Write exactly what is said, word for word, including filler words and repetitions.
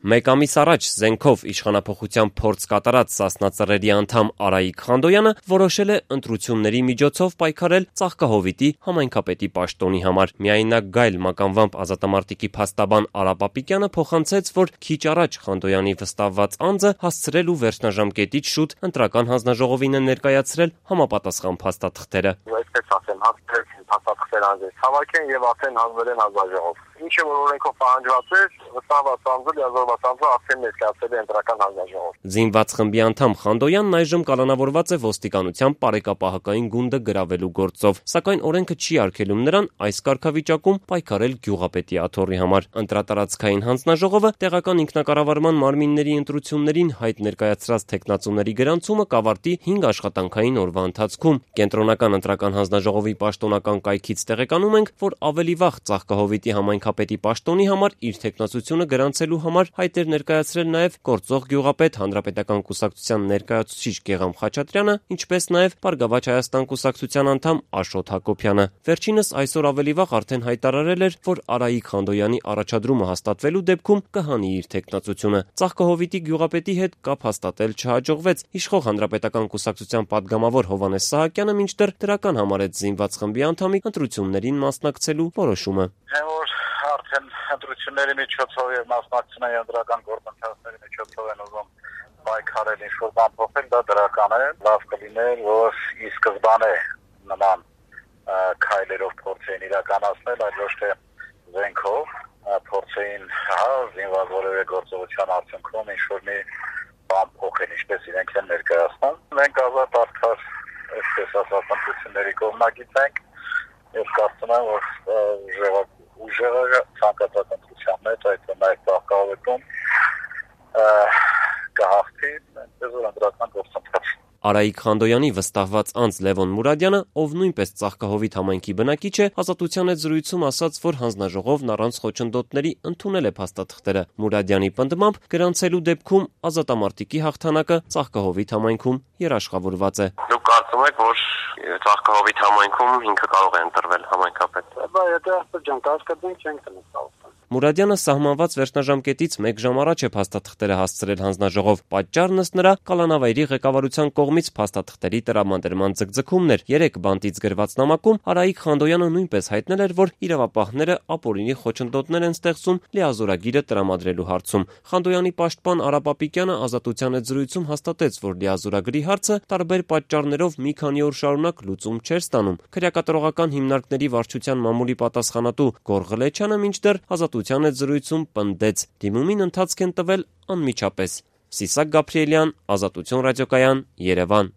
Մեկ ամիս առաջ զենքով իշխանափոխության փորձ կատարած Սասնա Ծռերի անդամ Արայիկ Խանդոյանը որոշել է ընտրությունների միջոցով պայքարել Ծաղկահովիտի համայնքապետի պաշտոնի համար։ Միայնակ գայլ մականվամբ ազատամարտիկի փաստաբան Արա Պապիկյանը փոխանցեց, որ քիչ առաջ Խանդոյանի վստահված անձը հասցրել ու վերջնաժամկետից շուտ ընտրական հանձնաժողովին է ներկայացրել համապատասխան փաստաթղթերը։ Այսպես ասեմ, հասցրել փաստաթղթեր անձեր հավաքեն եւ ասեն հանձնել են հանձնաժողով։ Ինչը որ օրենքով պահանջված է, վստահված անձը լիազորված անձը ասեն ներկայացել է ընտրական հանձնաժողով։ Զինված խմբի անդամ Խանդոյանն այժմ կալանավորված է ոստիկանության պարեկապահական գունդը գրավելու գործով, սակայն օրենքը չի արգելում նրան այս կարգավիճակում պայքարել գյուղապետի աթոռի համար։ Ընտրատարածքային հանձնաժողովը տեղական ինքնակառավարման մարմինների ընտրություններին հայտ ներկայացրած թեկնածուների գրանցումը կավարտի հինգ աշխատանքային օրվա ընթացքում։ Կենտրոնական ընտրական հանձնաժողովի պաշտոնական կայքից տեղեկանում ենք, որ ավելի վաղ Ծաղկահովիտի համայնքապետի պաշտոնի համար իր թեկնածությունը գրանցելու համար հայտ էր ներկայացրել նաև գործող գյուղապետ Հանրապետական կուսակցության ներկայացուցիչ Գեղամ Խաչատրյանը, ինչպես նաև Բարգավաճ Հայաստան կուսակցության անդամ Աշոտ Հակոբյանը։ Վերջինս այսօր ավելի վաղ արդեն հայտարարել էր, որ Արայիկ Խանդոյանի առաջադրումը հաստատվելու դեպքում կհանի իր թեկնածությունը։ Ծաղկահովիտի գյուղապետի հետ կապ հաստատել չհաջողվեց։ Իշխող Հանրապետական կուսակցության падգամավոր Հովհաննես Սահակյանը մինչդեռ դրական համարեց զինված խմբի անդամի ընտրություններին մասնակցելու որոշումը։ Արդեն ընտրությունների միջոցով եւ մասնակցության ընտրական գործընթացների միջոցով են ուզում պայքարել ինչ-որ բան փոխել, դա դրական է, լավ կլիներ, որ ի սկզբանե նման քայլերով փորձեին իրականացնել, այլ ոչ թե զենքով փորձեին հա զինված որևէ գործողության արդյունքում ինչ-որ մի բան փոխել, ինչպես իրենք են ներկայացնում։ Մենք ազատ արդար, այսպես ասած, ընտրությունների կողմնակից ենք եւ կարծում եմ, որ ուժեղ ուժեղը ցանկացած ընտրության մեջ, այդ նաև Ծաղկահովիտում կհաղթի, այնպես որ ընտրական գործընթաց։ Արայիկ Խանդոյանի վստահված անձ Լևոն Մուրադյանը, ով նույնպես Ծաղկահովիտ համայնքի բնակիչ է, Ազատության հետ զրույցում ասաց, որ հանձնաժողովն առանց խոչընդոտների ընդունել է փաստաթղթերը։ Մուրադյանի պնդմամբ գրանցելու դեպքում ազատամարտիկի հաղթանակը Ծաղկահովիտ համայնքում երաշխավորված է։ Դուք կարծում եք, որ Ծաղկահովիտ համայնքում ինքը կարող է ընտրվել համայնքապետ։ Բայց եթե ասած ջան, կասկածենք չենք տնեցավ։ Մուրադյանը սահմանված վերջնաժամկետից մեկ ժամ առաջ է փաստաթղթերը հասցրել հանձնաժողով։ Պատճառն ըստ նրա կալանավայրի ղեկավարության կողմից փաստաթղթերի տրամադրման ձգձգումն էր։ Երեք բանտից գրված նամակում Արայիկ Խանդոյանը նույնպես հայտնել էր, որ իրավապահները ապօրինի խոչընդոտներ են ստեղծում լիազորագիրը տրամադրելու հարցում։ Խանդոյանի պաշտպան Արա Պապիկյանը Ազատության հետ զրույցում հաստատեց, որ լիազորագրի հարցը տարբեր պատճառներով մի քանի օր շարունակ լուծում չէր ստանում։ Քրեակատարողական հիմնարկների վարչության մամուլի պատասխանատու Գոռ Ղլեչյանը մինչդեռ Ազատության հետ զրույցում պնդեց, դիմումին ընթացք են տվել անմիջապես։ Սիսակ Գաբրիելյան, Ազատություն ռադիոկայան, Երևան։